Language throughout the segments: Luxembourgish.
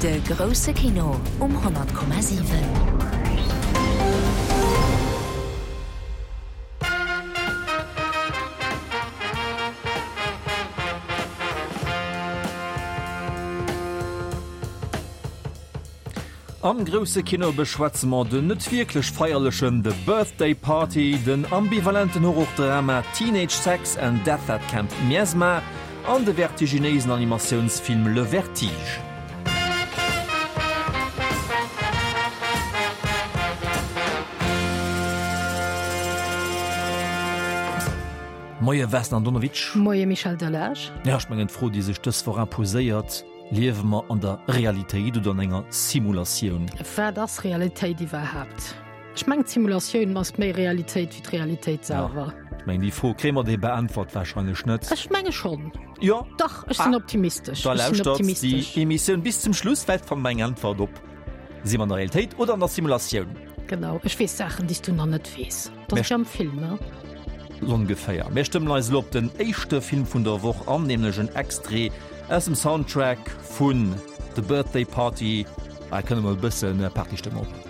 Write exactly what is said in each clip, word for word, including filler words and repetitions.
De grousse Kino um honnert Komma siwen. Am grousse Kino beschwätze mer den net wierklech feierlechen The Birthday Party, den ambivalenten Horrordrama Teenage Sex and Death at Camp Miasma an de vertiginéisen Animatiounsfilm Le Vertige. Moie Vesna Andonovic. Moie Michel Delage. Ja, ech mengen d'Fro, déi sech dës Woch imposéiert, Liewe mer an der Realitéit oder an enger Simulatioun? Wat ass Realitéit iwwerhaapt? Ech mengen d'Simulatioun ass méi Realitéit wéi d'Realitéit selwer. Ja, ech mengen déi Fro kréie mer déi beäntwert warscheinlech net. Ech menge schonn. Jo? Dach, ech sinn optimistesch. Da lauschtert déi Emissioun bis zum Schluss, vläicht fanne mer eng Äntwert op, Si mer an der Realitéit oder an der Simulatioun? Genau, ech weess Saachen, déi s du nach net weess. Dat ass wéi am Film, ne? Ongeféier. Mir stëmmen eis elo op den éischte Film vun der Woch an, nämlech en Extrait aus dem Soundtrack vun The Birthday Party. Hei kënne mol e bësse Partystëmmung op.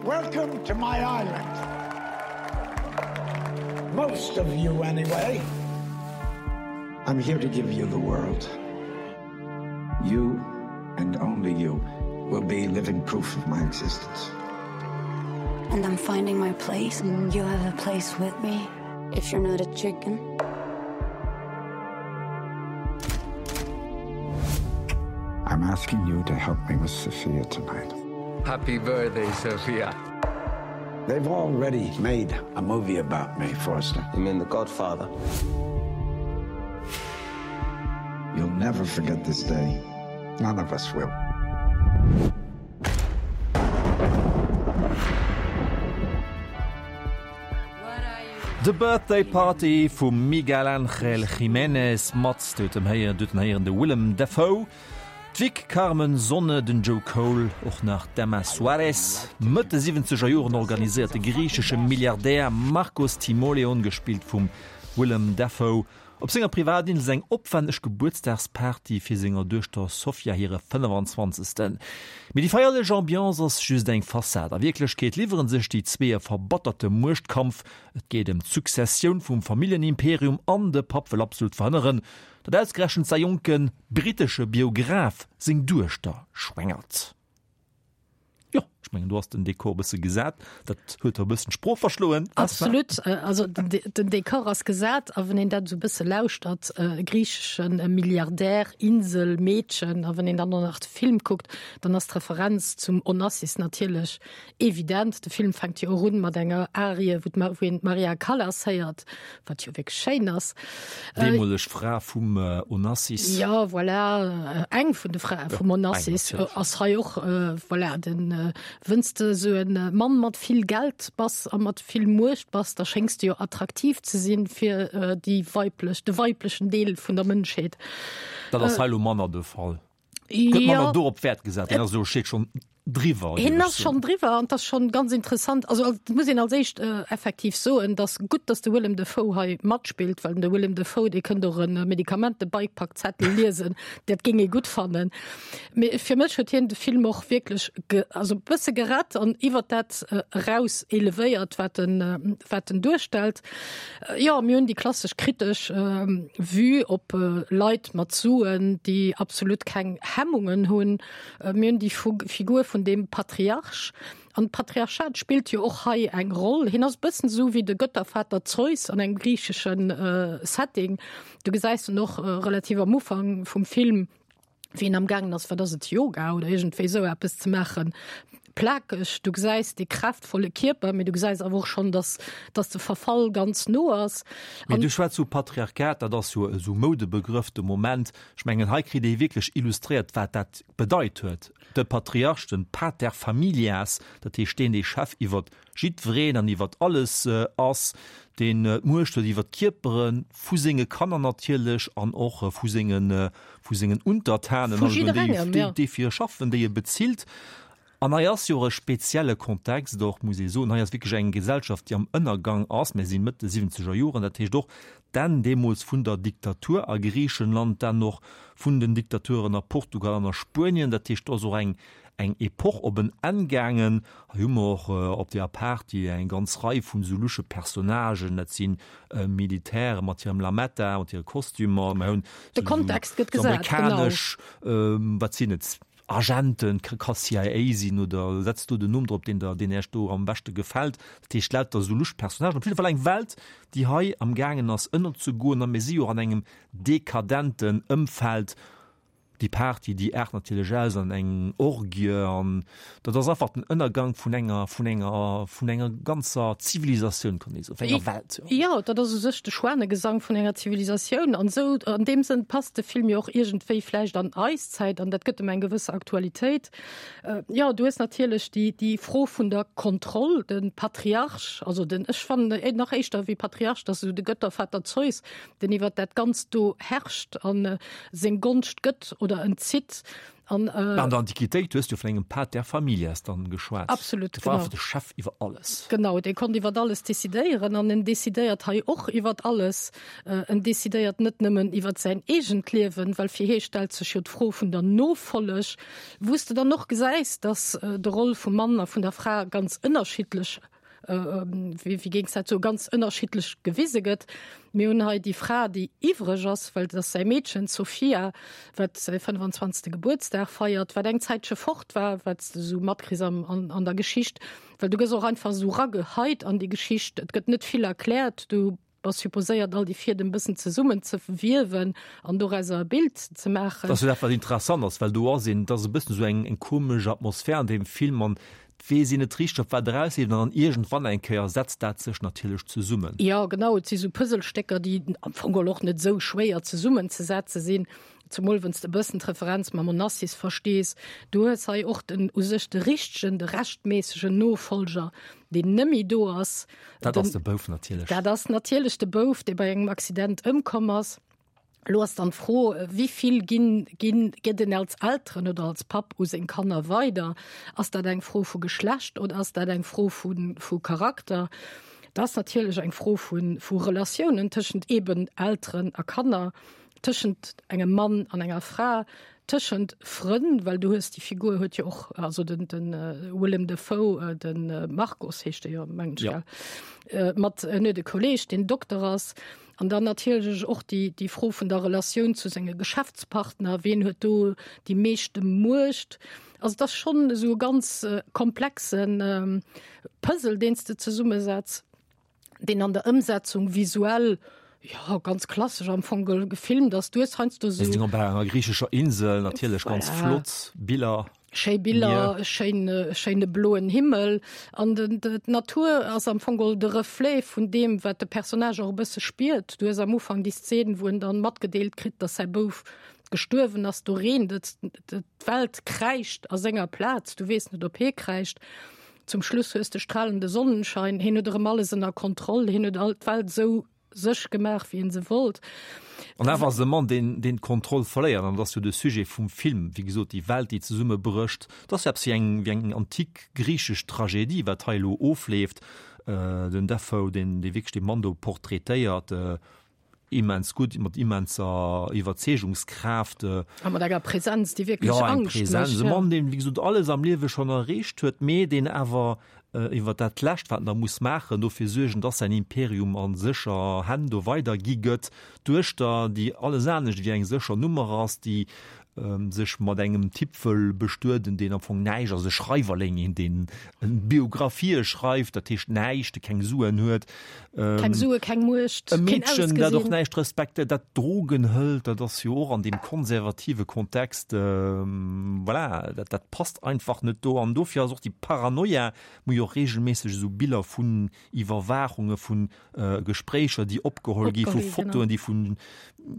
Welcome to my island. Most of you, anyway. I'm here to give you the world. You and only you will be living proof of my existence. And I'm finding my place and you have a place with me if you're not a chicken. I'm asking you to help me with Sophia tonight. Happy birthday, Sophia. They've already made a movie about me, Forster. You mean The Godfather? You'll never forget this day. None of us will. The Birthday Party vum Miguel Ángel Jiménez mat dotem héieren doten héieren de Willem Dafoe, d'Vic Carmen Sonne, den Joe Cole, och nach d'Emma Suárez. Mëtt de siwwenzeger Joren organiséiert de griichesche Milliardär Markos Timoleon, gespillt vum Willem Dafoe, op senger Privatinsel eng opwänneg Gebuertsdagsparty fir senger Duechter Sofia hire fënnefenzwanzegsten. Mee déi feierlech Ambiance ass just eng Fassad. A Wierklechkeet liwwere sech déi zwee e verbatterte Muechtkampf. Et geet ëm d'Successioun vum Familljenimperium an de Papp wëll absolut verhënneren, datt ausgerechent säi jonke brittesche Biograf seng Duechter schwängert. Jo, ech mengen do ass den Dekor e bësse gesat. Dat huet der e bëssen d'Sprooch verschloen. Absolut, also den, den Dekor ass gesat, a wann een dat esou e bësse lauschtert, äh, griicheschen äh, Milliardär, Insel, Meedchen, a wann een dann och nach de Film kuckt, dann ass d'Referenz zum Onassis natierlech evident. De Film fänkt jo och un mat enger Arie, wou d'Ma wou een d'Maria Callas héiert, wat jo wierklech schéin ass. Deemoleg Fra vum Onassis. Jo, voilà, eng vun de Frae vum Onassis ass hei och, voilà, den, wënns de esou e Mann mat vill Geld bass a mat vill Muecht bass, da schéngs de jo attraktiv ze sinn fir déi weiblech, de weiblechen Deel vun der Mënschheet. Dat ass hei elo manner de Fall. Gëtt manner dorop Wäert gesat, hien ass elo steet schonn driwwer. Hien ass schonn driwwer an 't ass schonn ganz interessant. Also et muss een als éischt effektiv soen, dass gutt, dass de Willem Dafoe hei matspillt, well de Willem Dafoe, dee kënnt och e Medikamentebeikpackzettel liesen, dat géing ee gutt fannen. Mee fir mech huet hien de Film och wierklech ge, also e bësse gerett an iwwert dat eraus elevéiert, wat en, wat en duerstellt. Jo, mir hunn déi klassesch kritesch Vue op Leit mat Suen, déi absolut keng Hemmungen hunn. Mir hunn déi Figur vun deem Patriarch. An d'Patriarchat spillt jo och hei eng Roll. Hien ass e bëssen esou wéi de Göttervater Zeus an engem griichesche Setting. Du gesäis en och relativ am Ufank vum Film, wéi en am gaangen ass, wat ass et, Yoga oder iergendwéi esou eppes ze maachen, plakeg. Du gesäis dee kräftvolle Kierper, mee du gesäis awer och schonn, dass, dass de Verfall ganz no ass. Mee du schwätz vu Patriarchat, dat ass jo esou Moudebegrëff de Moment. Ech mengen, hei kritt ee wierklech illustréiert, wat dat bedeit huet. De Patriarch, den Pater familias, dat heescht deen, dee Chef iwwert jiddwereen an iwwert alles ass, deen d'Muecht huet iwwert d'Kierpere vu senge Kanner natierlech an och vu sengen, vu sengen Untertanen, Vu jidderengem, déi, jo. déi fir e schaffen, déi e bezilt. An hei ass jo och e spezielle Kontext och, muss ee soen. Hei ass wierklech eng Gesellschaft, déi am Ënnergang ass. Mir si Mëtt de siwwenzeger Joren, dat heescht och d'Enn deemools vun der Diktatur a Griichenland, d'Enn och vun den Diktaturen a Portugal an a Spuenien. Dat heescht, do ass och eng, eng Epoch op en Enn gaangen. Hei hu mer och op deeër Party eng ganz Rei vun esou lusche Personnagen. Dat si Militäre mat hirem Lametta, mat hire Kostümer. Mer hunn De Kontext gëtt gesat, genau. amerikanesch, wat sinn et, Agenten, ka C I A sinn oder setzt do den Numm drop, deen der, deen Iech do am beschte gefält. Dat heescht lauter esou lusch Personnagen. Op jidde Fall eng Welt, déi hei am gaangen ass ënnerzegoen a mir si jo och an engem dekadenten Ëmfeld. Déi Party, déi aart natierlech aus an eng Orgie an dat ass einfach den Ënnergang vun enger, vun enger, vun enger ganzer Zivilisatioun, kann ee soen, vun enger Welt. Jo, dat ass u sech de Schwanegesang vun enger Zivilisatioun an esou an deem Sënn passt de Film jo och iergendwéi vläicht an eis Zäit an dat gëtt em eng gewësse Aktualitéit. Jo, du hues natierlech déi, déi Fro vun der Kontroll, de Patriarch, also den, ech fannen nach éischter wéi Patriarch, dat ass esou de Göttervater Zeus, deen iwwert dat Ganzt do herrscht a seng Gonscht gëtt oder entzitt. An, äh, An der Antiquitéit hues du vun engem Pater familias dann geschwat. Absolut, Dat war genau. einfach de Chef iwwer alles. Genau, dee konnt iwwer alles decidéieren an en decidéiert hei och iwwer alles. Äh, en decidéiert net nëmmen iwwer säin eegent Liewen, well fir hie stellt sech jo d'Fro vun der Nofolleg, wou s de dann och gesäis, dass äh, de Roll vum Mann a vun der Fra ganz ënnerschiddlech wéi géing ech dat soen, ganz ënnerschiddlech gewise gëtt. Mir hunn hei déi Fra, déi iwwreg ass, well et ass säi Meedchen, d'Sofia, wat säi fënnefenzwanzegste Gebuertsdag feiert, wat eng Zäitche fort war, wat s de esou matkriss am, an, an der Geschicht, well du gëss och einfach esou rageheit an déi Geschicht. Et gëtt net vill erkläert, du bass supposéiert, all déi Fiedem e bëssen zesummen ze wiewen an dorauser e Bild ze maachen. Dat ass jo dat, wat interessant ass, well do ass een, et ass e bëssen esou eng, eng komesch Atmosphär an deem Film an et weess een net richteg, op wat erausleeft an dann iergendwann eng Kéier setzt dat sech natierlech zesummen. Jo, genau, et si sou Puzzlestécker, déi am Fong geholl och net esou schwéier zesummenzesetze sinn. Zemol wann s de e bëssen d'Referenz mam Onassis verstees. Du hues hei och den u sech de richtegen, de rechtméissegen Nofollger, deen nëmmi do ass. Dat ass de Bouf natierlech. Dat ass natierlech de Bouf, dee bei engem Accident ëmkomm ass. Elo ass dann d'Fro, wéi vill ginn, ginn, gëtt en als Elteren oder als Papp u seng Kanner weider? Ass dat eng Fro vu Geschlecht oder ass dat eng Fro vu, vu Charakter? Dat ass natierlech eng Fro vu, vu Relatiounen tëschent eben Elteren a Kanner, tëschent engem Mann an enger Fra, tëschent Frënn, well du hues, déi Figur huet jo och, also den, den Willem Dafoe, den Marcos heescht e jo, mengen ech, gell, mat, en huet e Kolleeg, deen Dokter ass. An dann natierlech och déi, déi Fro vun der Relatioun zu senge Geschäftspartner, wien huet do déi meeschte Muecht? Also et ass schonn esou e ganz komplexe Puzzle, deen s de zesummesetz, deen an der Ëmsetzung visuell, jo, ganz klassesch am Fong gefilmt ass. Du hues heiansdo esou. Mir sinn op enger griichescher Insel, natierlech ganz flott Biller. Schéi Biller, schéin, schéine bloen Himmel an den, d'Natur ass am Fong geholl de Reflet vun deem, wat de Personnage och e bësse spiert. Du hues am Ufank déi Szene, wou en dann matgedeelt kritt, dass säi Bouf gestuerwen ass. Do reent et, d'Welt kräischt a senger Plaz, du weess net, ob hie kräischt. Zum Schluss hues de stralende Sonnenschein, hien huet erëm alles ënner Kontroll, hien huet all d'Welt esou sech gemaach, wéi en se wollt. An awer ass e Mann, deen, deen d'Kontroll verléiert, an dat ass jo de Sujet vum Film, wéi gesot, déi Welt, déi zesummebrécht. Dat ass jo eppes wéi eng, wéi eng antik griichesch Tragedie, wat hei elo ofleeft. Den Dafoe, deen, dee wierklech dee Mann do portraitéiert, immens gutt, mat immenser Iwwerzeegungskraaft. A mat enger Präsenz, déi wierklech Angscht mécht. Jo, eng Präsenz. E Mann, deen, wéi gesot, alles am Liewe schonn erreecht huet, mee deen awer iwwer dat Lescht, wat en da muss maachen, dofir suergen, dass säin Imperium a sécher Hänn do weidergi gëtt. D'Duechter, déi alles anescht wéi eng sécher Nummer ass, déi sech mat engem Typ wëll bestueden, deen am Fong näischt ass, e Schreiwerling, een, deen Biografië schreift, dat heescht näischt, dee keng Suen huet. Keng Sue, keng Muecht, keen Ausgesinn. E Meedchen, dat och näischt respektéiert, dat Drogen hëlt, dat ass jo och an deem konservative Kontext, voilà, dat, dat passt einfach net do. An dofir ass och déi Paranoia, Mir hu jo och reegelméisseg esou Biller vun Iwwerwaachunge vun Gespréicher, déi opgeholl gi, vu Fotoen, déi vun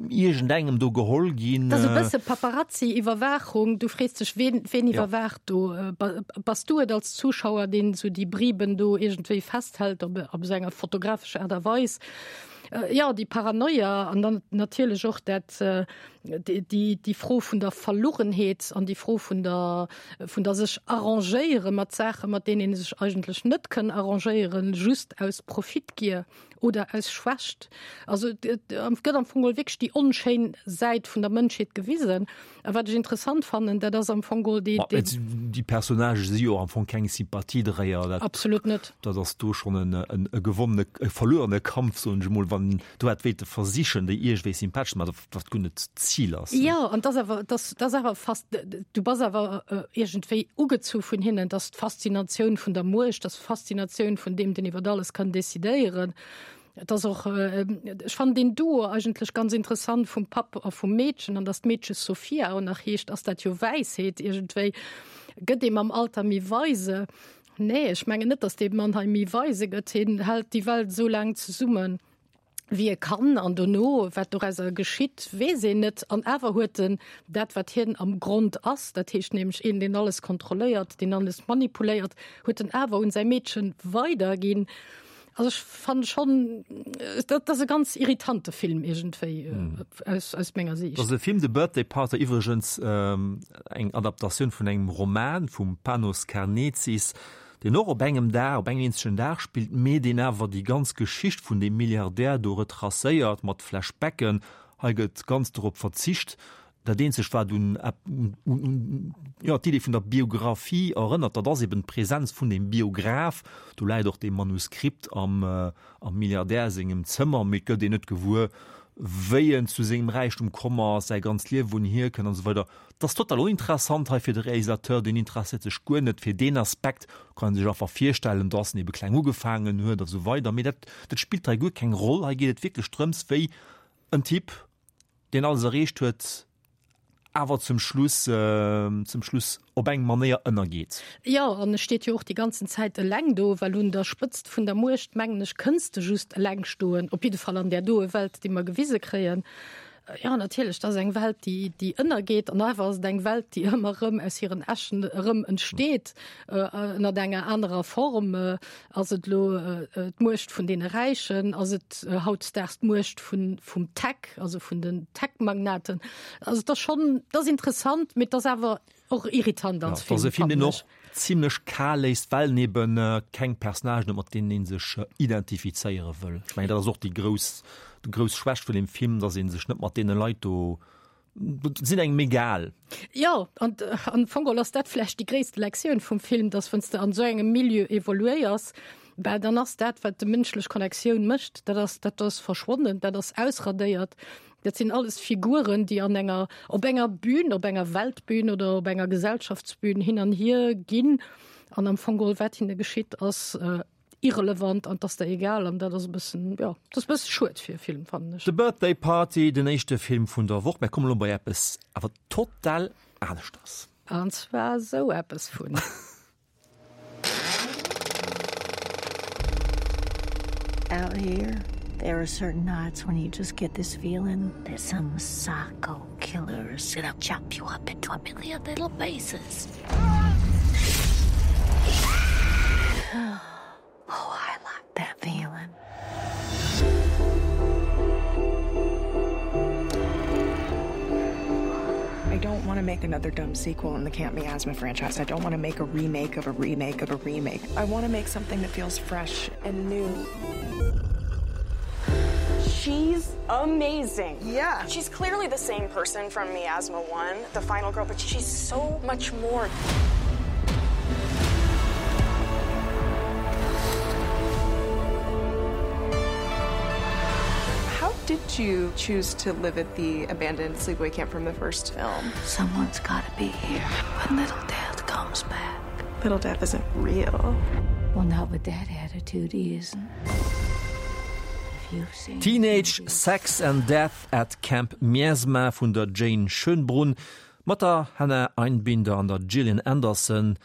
iergendengem do geholl ginn. Dat ass e bësse Paparazzi-Iwwerwaachung. Du frees dech, ween, ween iwwerwaacht do? Bass du et als Zuschauer, deen esou déi Briben do iergendwéi festhält op, op esou enger fotografescher Aart a Weis? Jo, déi Paranoia an dann natierlech och dat, déi, déi Fro vun der Verlugenheet an déi Fro vun der, vun der sech arrangéiere mat Saachen, mat deenen ee sech eigentlech net kënn arrangéieren, just aus Profitgier oder aus Schwächt. Also et gëtt am Fong geholl wierklech déi onschéin Säit vun der Mënschheet gewisen. A wat ech interessant fannen, dat ass am Fong geholl déi, déi. Déi Personnagë si jo am Fong keng Sympathiedréier. Dat, Absolut net. Dat ass do schonn en, e gewonnene, e verluerene Kampf, soen ech emol, wann do hätt wéilte versichen, déi iergendwéi sympathesch ze maachen, wat guer net d'Zil ass. Jo, an 't ass awer, 't ass, 't ass awer fast, du bass awer iergendwéi ugezu vun hinnen. 't ass d'Faszinatioun vun der Muecht, 't ass d'Faszinatioun vun deem, deen iwwert alles kann decidéieren. Et ass och, ech fannen deen Duo eigentlech ganz interessant vum Papp a vum Meedchen, an dass d'Meedche Sophia och nach heescht, ass dat jo Wäisheet iergendwéi. Gëtt ee mam Alter méi weise? Nee, ech mengen net, dass dee Mann hei méi weise gëtt. Hien hält déi Welt esou laang zesummen, wéi e kann, an dono, wat dorauser geschitt, weess een net. An awer huet en dat, wat hien am Grond ass, dat heescht nämlech een, deen alles kontrolléiert, deen alles manipuléiert, huet en awer un säi Meedchen weiderginn. Also ech fannen schon, dat ass e ganz irritante Film iergendwéi aus, aus menger Siicht. Dat ass e Film, The Birthday Party, iwwregens eng Adaptatioun vun engem Roman vum Panos Karnezis, deen och op engem Dag, op engem eenzegen Dag spillt, mee deen awer déi ganz Geschicht vun deem Milliardär do retracéiert mat Flashbacken. Hei gëtt ganz dorop verzicht. Dat eenzegt, wat un, un, jo, d'Idee vun der Biographie erënnert, dat ass eben d'Präsenz vun deem Biograph. Do läit och dee Manuskript am, am Milliardär sengem Zëmmer, mee et gëtt een net gewuer, wéi en zu sengem Räichtum komm ass, säi ganzt Liewen, wou en hierkënnt an esou weider. Dat ass total oninteressant hei fir de Realisateur, deen interesséiert sech guer net fir deen Aspekt. Kann ee sech einfach virstellen, dass en ebe kleng ugefaangen huet a sou weider, mee dat, dat spillt hei guer keng Roll. Hei geet et wierklech drëms, wéi en Typ, deen alles erreecht huet, awer zum Schluss, zum Schluss op eng Manéier ënnergeet. Jo, an e steet jo och déi ganzen Zäit eleng do, well un der Spëtzt vun der Muecht, mengen ech, kënns de just eleng stoen, op jidde Fall an där doe Welt, déi mer gewise kréien. Jo, natierlech, dat ass eng Welt, déi, déi ënnergeet, an awer ass et eng Welt, déi ëmmer erëm aus hiren Äschen erëm entsteet, ënnert enger anerer Form. Ass et elo d'Muecht vun deene Räichen? Ass et hautdesdaags d'Muecht vun, vum Tech, also vun den Tech-Magnaten? Also et ass schonn, et ass interessant, mee et ass awer och irritant als Film, fannen ech. Ja, et ass e Film, deen och zimlech kal léisst, well en eben keng Personnagen huet, mat deenen ee sech identifizéiere wëll. Ech mengen, dat ass och déi grouss, déi grouss Schwächt vun deem Film, dass ee sech net mat deene Leit do, sinn engem egal. Jo, an am Fong geholl ass dat vläicht déi gréisste Lektioun vum Film, dass wann s de an esou engem Milieu evoluéiers, bah, dann ass dat, wat de mënschlech Connectioun mécht, dat ass, dat ass verschwonnen, dat ass ausradéiert. Dat sinn alles Figuren, déi an enger, op enger Bühn, op enger Weltbühn oder op enger Gesellschaftsbühn hin an hier ginn an am Fong geholl, wat hinne geschitt, ass irrelevant an 't ass der egal an dat ass e bëssen, jo, dat ass e bësse schued fir e Film, fannen ech. The Birthday Party, den éischte Film vun der Woch. Mär kommen elo bei eppes awer total aneschters. An zwar esou eppes vun. Out here there are certain nights when you just get this feeling that some psycho killer is gonna chop you up into a million little pieces. Oh, I like that feeling. I don't want to make another dumb sequel in the Camp Miasma franchise. I don't want to make a remake of a remake of a remake. I want to make something that feels fresh and new. She's amazing. Yeah. She's clearly the same person from Miasma one, the final girl, but she's so much more. How did you choose to live at the abandoned sleepaway camp from the first film? Someone's gotta be here when little Death comes back. Little Death isn't real. Well, not with that attitude, he isn't. Teenage Sex and Death at Camp Miasma vun der Jane Schoenbrun mat der Hannah Einbinder an der Gillian Anderson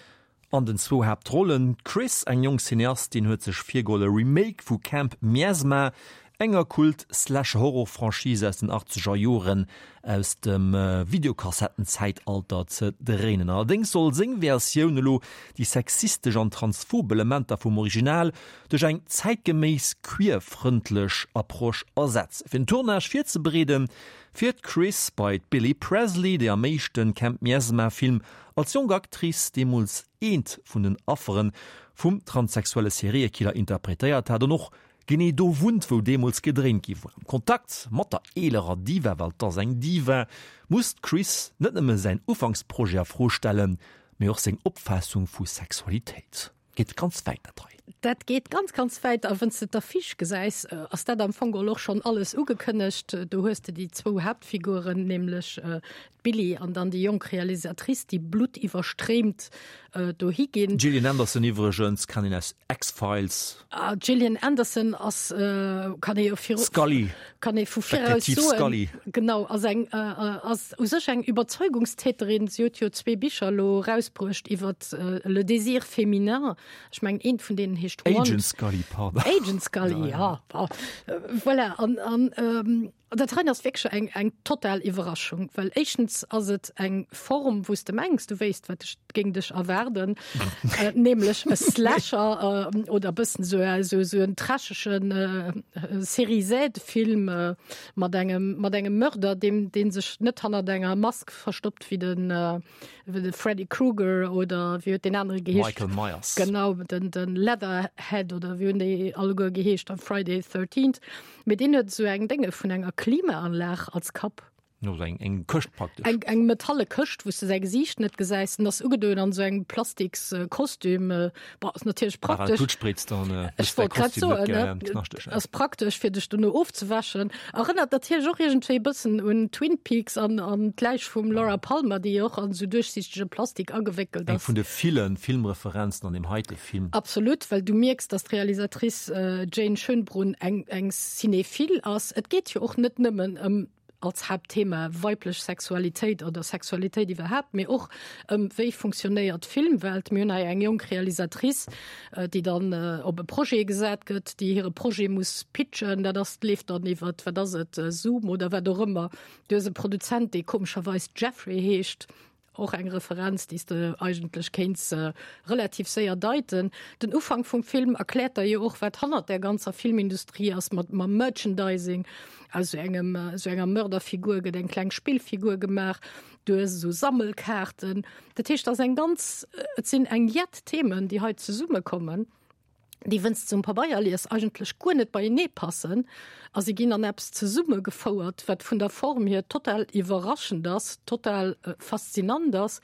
an den zwou Haaptrollen. D'Chris, eng jonk Cineastin, huet sech virgeholl e Remake vu Camp Miasma, enger Kult-Slasher-Horror-Franchise aus den achtzeger Joren aus dem Videokassettenzäitalter, ze dréinen. Allerdéngs soll seng Versioun elo déi sexistesch an transphob Elementer vum Original duerch eng zäitgeméiss queer-frëndlech Approche ersetzen. Fir den Tournage virzebereeden, fiert d'Chris bei d'Billie Presley, déi am éischte Camp Miasma-Film als jonk Actrice deemools eent vun den Affere vum transsexuelle Seriekiller interpretéiert hat an och genee do wunnt, wou deemools gedréint gi war. Am Kontakt mat der eelerer Diva, well 't ass eng Diva, muss d'Chris net nëmme säin Ufanksprojet a Fro stellen, mee och seng Opfaassung vu Sexualitéit. Geet ganz wäit dat hei. Dat geet ganz, ganz wäit. A wann s de d'Affiche gesäis, ass dat am Fong geholl och schonn alles ugekënnegt. Do hues de déi zwou Haaptfiguren, nämlech d'Billie an dann déi jonk Realisatrice, déi bluttiwwerstréimt dohi ginn. D'Gillian Anderson iwwregens kann een aus X-Files. Ah, d'Gillian Anderson ass, kann ee jo viru, Scully. kann ee vu viraus Detektiv soen, Scully. genau, ass eng, ass u sech eng Überzeugungstäterin. Si huet jo zwee Bicher elo erausbruecht iwwer le désir féminin. Ech mengen, eent vun deenen heescht Want. Agent Scully, pardon. Agent Scully, ja. Voilà, an, an dat hei ass wierklech eng, eng total Iwwerraschung, well éischtens ass et eng Form, wou s de mengs, du wéisst, wat dech, géing dech erwaarden, nämlech e Slasher oder e bëssen esou, esou, esou en trashegen Série-Z-Film mat engem, mat engem Mörder, deem, dee sech net hannert enger Mask verstoppt wéi den, wéi de Freddy Krueger oder wéi huet deen anere geheescht? Michael Myers. Genau, den, den Leatherhead oder wéi hunn déi alleguer geheescht am Friday the thirteenth. Mee deen huet esou eng Dénge vun enger Klimaanlag als Kapp. No, eng, eng Këscht praktesch. Eng, eng metalle Këscht, wou s de säi Gesiicht net gesäis. En ass ugedoen an esou engem plastiks Kostüm. Bon, ass natierlech praktesch. Blutt spritzt, dann Ech wollt grad soen, ne? Ass praktesch, fir dech dono ofzewäschen. Erënnert natierlech och iergendwéi e bëssen un Twin Peaks an an d'Läich vum Laura Palmer, déi jo och an esou duerchsiichtege Plastik agewéckelt Eng ass. vun de ville Filmreferenzen an deem heite Film. Absolut, well du mierks, dass d'Realisatrice Jane Schoenbrun eng, eng Cinéphile ass. Et geet jo och net nëmmen ëm als Haaptthema weiblech Sexualitéit oder Sexualitéit iwwerhaapt, mee och ëm wéi funktionéiert d'Filmwelt. Mir hunn hei eng jonk Realisatrice, déi dann op e Projet gesat gëtt, déi hire Projet muss pitchen. Dat ass, leeft dann iwwer, wat ass et, Zoom oder wat och ëmmer. Du hues e Produzent, dee komescherweis Jeffrey heescht. Och eng Referenz, déi s de eigentlech kéints relativ séier deiten. Den Ufank vum Film erkläert der jo och, wat hannert där ganzer Filmindustrie ass, mat mam Merchandising. Aus esou engem, esou enger Mörderfigur gëtt eng kleng Spillfigur gemaach. Du hues esou Sammelkaarten. Dat heescht, et ass eng ganz, et sinn eng jett Themen, déi hei zesummekommen. déi wënns de um Pabeier lies eigentlech guer net beienee passen a si ginn an eppes zesummegefouert, wat vun der Form hier total iwwerraschend ass, total faszinant ass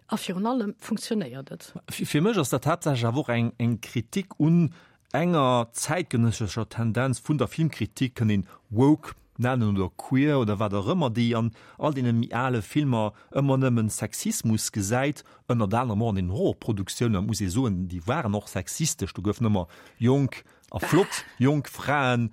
a virun allem funktionéiert et. Fir mech ass dat haaptsächlech awer och eng eng Kritik un enger zäitgenëssescher Tendenz vun der Filmkritik, kënnt een woke nennen oder queer oder wat och ëmmer, déi an all deene méi ale Filmer ëmmer nëmmen Sexismus gesäit, ënnert anerem och an den Horrorproduktiounen, muss ee soen, déi waren och sexistesch, do goufen ëmmer jonk a flott jonk Fraen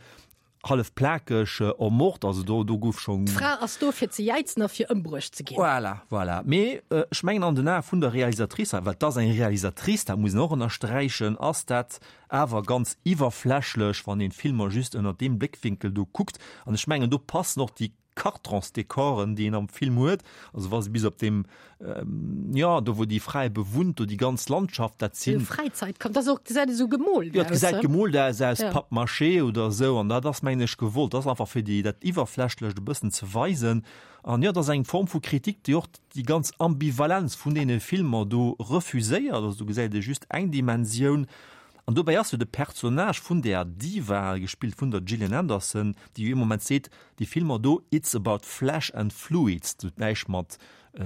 hallef plakeg ermort, also do do gouf schonn. D'Fra ass do fir ze jäizen a fir ëmbruecht ze ginn. Voilà, voilà. Mee ech mengen an den Ae vun der Realisatrice, well et ass eng Realisatrice, dat muss een och ënnersträichen, ass dat awer ganz iwwerflächlech, wann een d'Filmer just ënnert deem Bléckwinkel do kuckt. An ech mengen, do passen och déi Kartronsdekoren, déi een am Film huet, also wa se bis op deem, jo, do wou déi Fra ebe wunnt, do déi ganz Landschaft, dat sinn. Fräizäit, dat ass och, gesäit esou gemoolt aus. Jo, et gesäit gemoolt aus, aus Pappmaché oder esou. An dat ass, mengen ech, gewollt. Dat ass einfach fir déi, dat Iwwerflächlecht e bëssen ze weisen. An jo, et ass eng Form vu Kritik, déi och déi ganz Ambivalenz vun deene Filmer do refuséiert. Also do gesäit ee just eng Dimensioun. An dobäi ass jo de Personnage vun där Diva, gespillt vun der Gillian Anderson, déi jo ee Moment seet, déi Filmer do, it's about flesh and fluids, dat huet näischt mat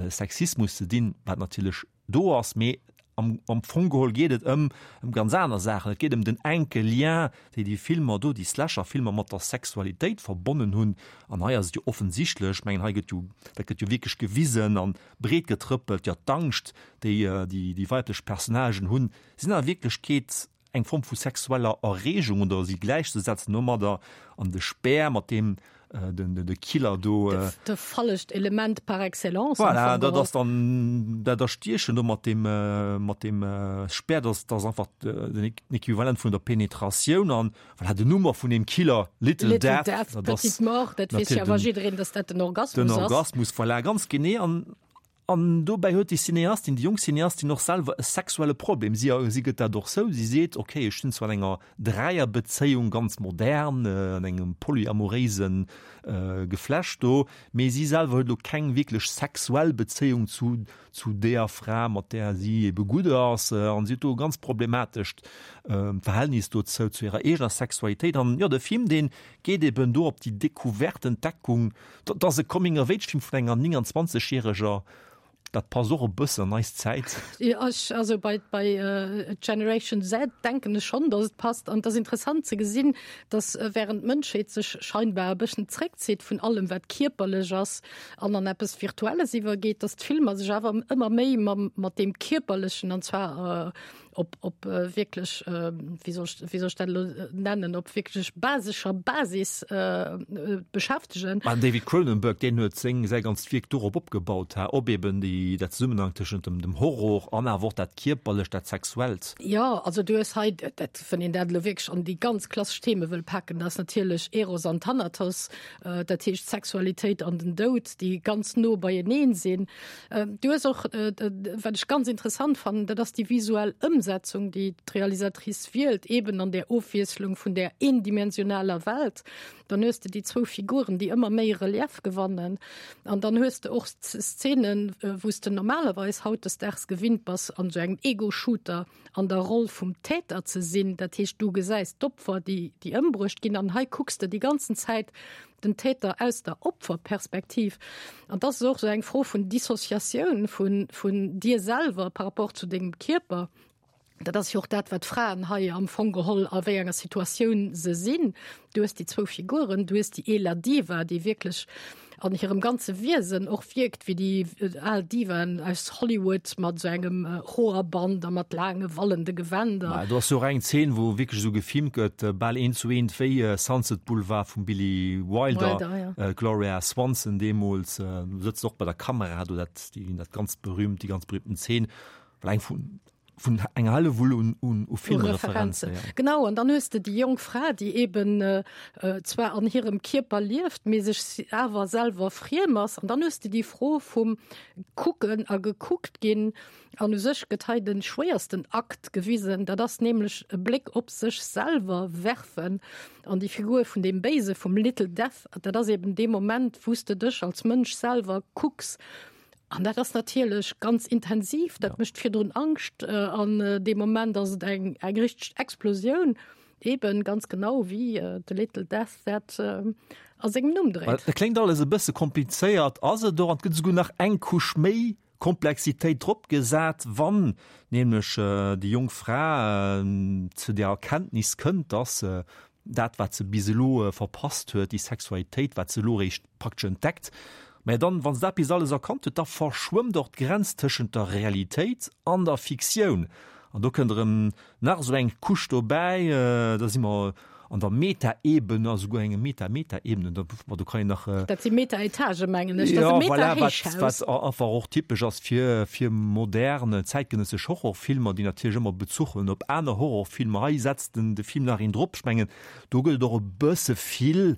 Sexismus ze dinn, wat natierlech do ass, mee am am Fong geholl geet et ëm ëm ganz aner Saachen. Et geet ëm den enke Lien, déi déi Filmer do, déi Slasher-Filmer mat der Sexualitéit verbonnen hunn. An hei ass et jo offensichtlech, ech mengen, hei gëtt jo, dat gëtt jo wierklech gewisen an breet getrëppelt, jo, d'Angscht, déi déi déi weiblech Personnagen hunn, sinn a Wierklechkeet eng Form vu sexueller Erreegung oder si gläichzesetzen domadder an de Speer, mat deem den de Killer do. De fallecht Element par excellence. Voilà, dat ass dann dat Erstiechen do mat deem mat deem Speer, dat ass einfach den Equivalent vun der Penetratioun an voilà, den Numm och vun deem Killer, Little Death, Little Death, Petite Mort, dat weess jo awer jiddereen, datt dat den Orgasmus ass. Den Orgasmus, voilà, ganz genee. An An dobäi huet déi Cineastin, déi jonk Cineastin och selwer e sexuelle Problem. Si, si gëtt dat och zou. Si seet, ok, ech sinn zwar an enger Dräierbezéiung, ganz modern, an engem polyamoréise Geflecht do, mee si selwer huet elo keng wierklech sexuell Bezéiung zu, zu deeër Fra, mat där si ebe gutt ass. An si huet do e ganz problematescht Verhältnis dozou, zu hirer eegener Sexualitéit. An jo, de Film, dee geet eben do op déi Decouverte, Entdeckung, dat ass e Coming-of-age-Film vun enger nénganzwanzeg järeger. Dat passt och e bëssen an eis Zäit. Jo, ech, also bei, bei Generation Z denken ech schonn, datt et passt. An et ass interessant ze gesinn, datt während d'Mënschheet sech scheinbar e bëssen zréckzitt vun allem, wat kierperlech ass an an eppes Virtuelles iwwergeet, datt d'Filmer sech awer ëmmer méi mam, mat deem Kierperlechen, an zwar op, op wierklech, wéi soll ech, wéi soll ech dat elo nennen, op wierklech basescher Basis beschäftegen. Mä den David Cronenberg, deen huet seng, säi ganzt Wierk dorop opgebaut, ha, op eben déi, dat Zesummenhang tëschent dem, dem Horror an awer och dat Kierperlecht, dat Sexuellt. Jo, also du hues hei, dat, wann een dat elo wierklech an déi ganz klassesch Theme wëll paken, da ass natierlech Eros an Thanatos, dat heescht d'Sexualitéit an den Doud, déi ganz no beieneen sinn. Du hues och, wat ech ganz interessant fannen, dat ass déi visuell Ëmsetzung, déi d'Realisatrice wielt, eben an där Ofwiesslung vun där eendimensionaler Welt. Dann hues de déi zwou Figuren, déi ëmmer méi Relief gewannen. An dann hues de och Szenen, wou s de normalerweis hautdesdaags gewinnt bass, an esou engem Ego-Shooter an der Roll vum Täter ze sinn. Dat heescht, du gesäis d'Opfer, déi ëmbruecht ginn, an hei kucks de déi ganzen Zäit den Täter aus der Opferperspektiv. An dat ass och esou eng Fro vun Dissociatioun vun, vun dir selwer par rapport zu dengem Kierper. Dat ass jo och dat, wat d'Fraen hei am Fong geholl a wéi enger Situatioun se sinn. Du hues déi zwou Figuren, du hues déi eeler Diva, déi wierklech an hirem ganze Wiesen och wierkt wéi déi al Divaen aus Hollywood mat sou engem Hoerband a mat laange wallende Gewänder. Mä do ass jo och eng Zeen, wou wierklech esou gefilmt gëtt, bal eent zu eent wéi Sunset Boulevard vum Billy Wilder, Wilder, ja. Gloria Swanson deemools sëtzt och bei der Kamera do, dat, déi, dat ganz berühmt, déi ganz berühmten Zeen, well eng vun, vun enger Hellewull un, un, u Filmreferenzen. Ja. Genau, an dann hues de déi jonk Fra, déi eben äh, äh, zwar an hirem Kierper lieft, mee sech awer selwer friem ass. An dann hues de déi Fro vum Kucken a gekuckt ginn. An u sech gëtt hei de schwéiersten Akt gewisen, dat ass nämlech e Bléck op sech selwer werfen. An déi Figur vun deem Béise, vum Little Death, dat ass eben dee Moment, wou s de dech als Mënsch selwer kucks. An dat ass natierlech ganz intensiv, dat mécht virdrun Angscht an dee Moment ass et eng eng richteg Explosioun, eben ganz genau wéi The Little Death dat a sengem Numm dréit. Dat kléngt alles e bësse komplizéiert, ass et och, an et gëtt esouguer nach eng Couche méi Komplexitéit drop gesat, wann nämlech déi jonk Fra zu der Erkenntnis kënnt, dass dat wat se bis elo verpasst huet, déi Sexualitéit, wat se elo eréischt praktesch entdeckt, mä dann, wa se dat bis alles erkannt huet, da verschwëmmt och d'Grenz tëschent der Realitéit an der Fiktioun. An do kënnt erëm nach esou eng Couche dobäi, da si mer an der Metaebene, a souguer enge Meta-Meta-Ebene, da, do kann een nach. Dat si Meta-Etagë mengen ech, dat ass e Meta-Héichhaus. Ja, voilà, wat, wat einfach och typesch ass fir, fir modern, zäitgenëssesch Horrorfilmer, déi natierlech ëmmer Bezuch huelen op aner Horrorfilmer. Hei setzt den, de Film nach een drop. Ech mengen, do gëtt et och e bësse vill,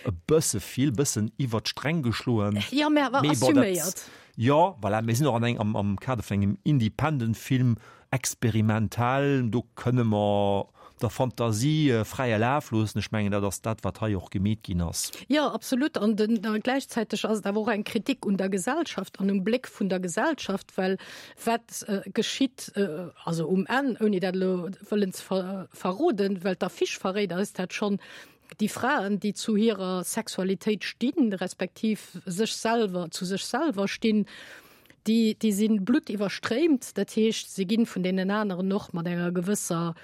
e bësse vill, bëssen iwwert d'Sträng geschloen. Jo, mä awer assuméiert. Jo, voilà, mir sinn och an eng, am, am Kader vun engem Independent-Film, experimentell, do kënne mer der Fantasie fräie Laf loossen. Ech mengen, dat ass dat, wat hei och gemeet ginn ass. Jo, absolut. An den, gläichzäiteg ass et awer och eng Kritik un der Gesellschaft an um Bléck vun der Gesellschaft, well wat geschitt, also um Enn, ouni dat elo wëllen ze verroden, well d'Affiche verréit eis dat schonn, déi Fraen, déi zu hirer Sexualitéit stinn, respektiv sech selwer, zu sech selwer stinn, déi, déi si bluttiwwerstréimt, dat heescht, si ginn vun deenen aneren och mat enger gewësser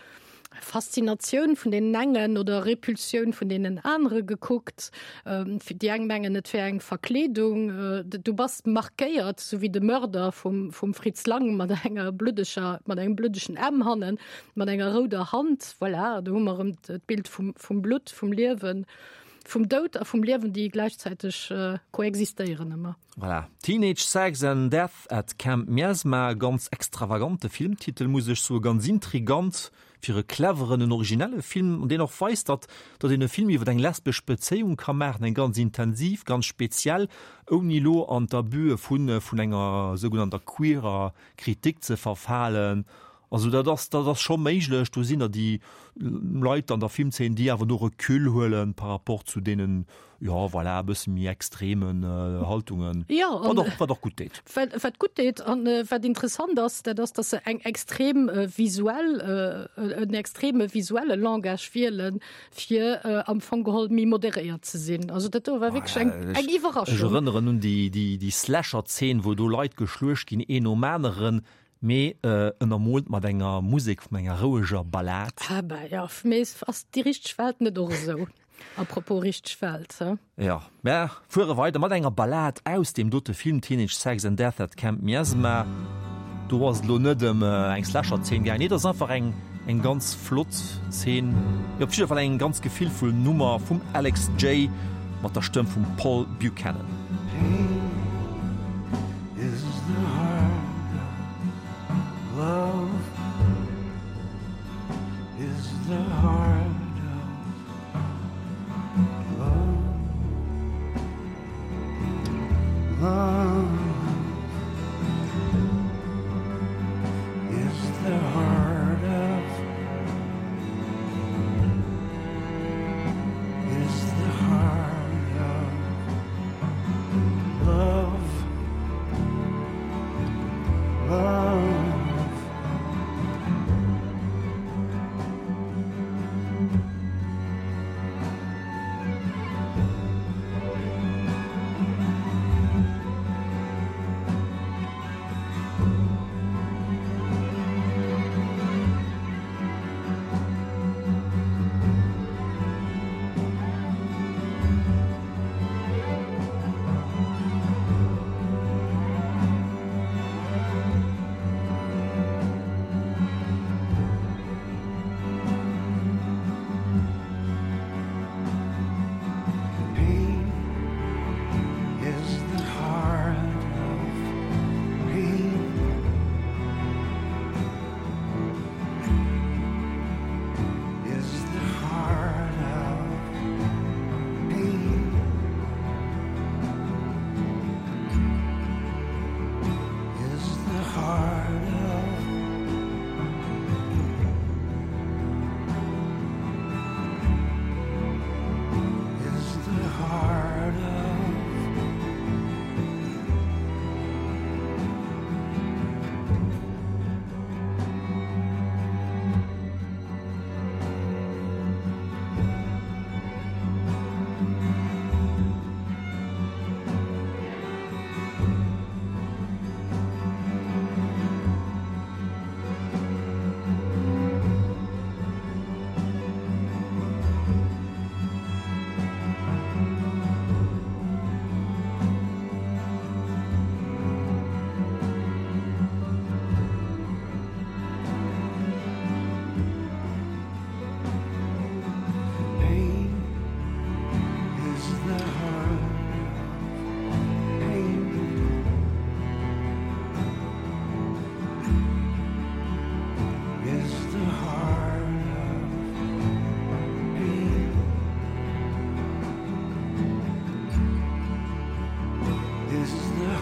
Faszinatioun vun deenen engen oder Repulsioun vun deenen anere gekuckt. Déi eng mengen, et wär eng Verkleedung. Du bass markéiert, sou wéi de Mörder vum, vum Fritz Lang mat enger bluddeger, mat engem bluddegen M hannen, mat enger rouder Hand. Voilà, do hu mer erëm d'Bild vum, vum Blutt, vum Liewen. Vum Doud a vum Liewen, déi gläichzäiteg koexistéieren ëmmer. Voilà, Teenage Sex and Death at Camp Miasma, ganz extravagante Filmtitel, muss ech soen, ganz intrigant fir e cleveren, en originelle Film, an deen och weist, datt datt een e Film iwwer eng lesbesch Bezéiung ka maachen, eng ganz intensiv, ganz speziell, ouni elo an d'Abüe vun vun enger sougenannter queerer Kritik ze verfalen. Also dat ass, dat ass scho méiglech. Do sinn der déi Leit an der Filmzeen, déi awer do Recul huelen par rapport zu deenen, jo voilà, e bësse méi extremen Haltungen. Jo, an wat och, wat och gutt deet. Wat, wat gutt deet an wat interessant ass, dat ass, datt se eng extrem visuell, en extreme visuelle Langage wielen, fir am Fong geholl méi moderéiert ze sinn. Also dat do war wierklech eng, eng Iwwerraschung. Ech erënneren un déi, déi, déi Slasher-Zeen, wou do Leit geschluecht ginn, een nom aneren. Mee ënnermoolt mat enger Musek vun enger roueger Ballad. Ah bah jo, mee ass déi richteg Welt net och esou? Apropos richteg Welt, he? Jo, mer fuere weider mat enger Ballad aus deem dote Film Teenage Sex and Death at Camp Miasma. Do ass et elo net ëm eng Slasher-Zeen gaangen, nee, et ass einfach eng eng ganz flott Zeen, jo, op jidder Fall eng ganz gefillvoll Nummer vum Alex Jay mat der Stëmm vum Paul Buchanan. Pain is the heart of love is the heart of love love is the heart of is the heart of love love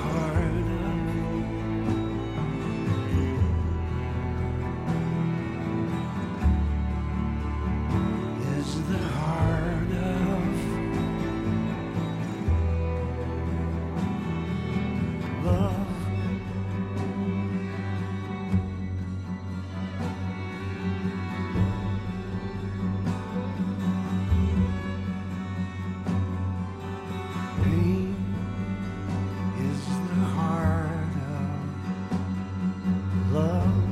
heart of Is the heart of love. Pain is the heart of love.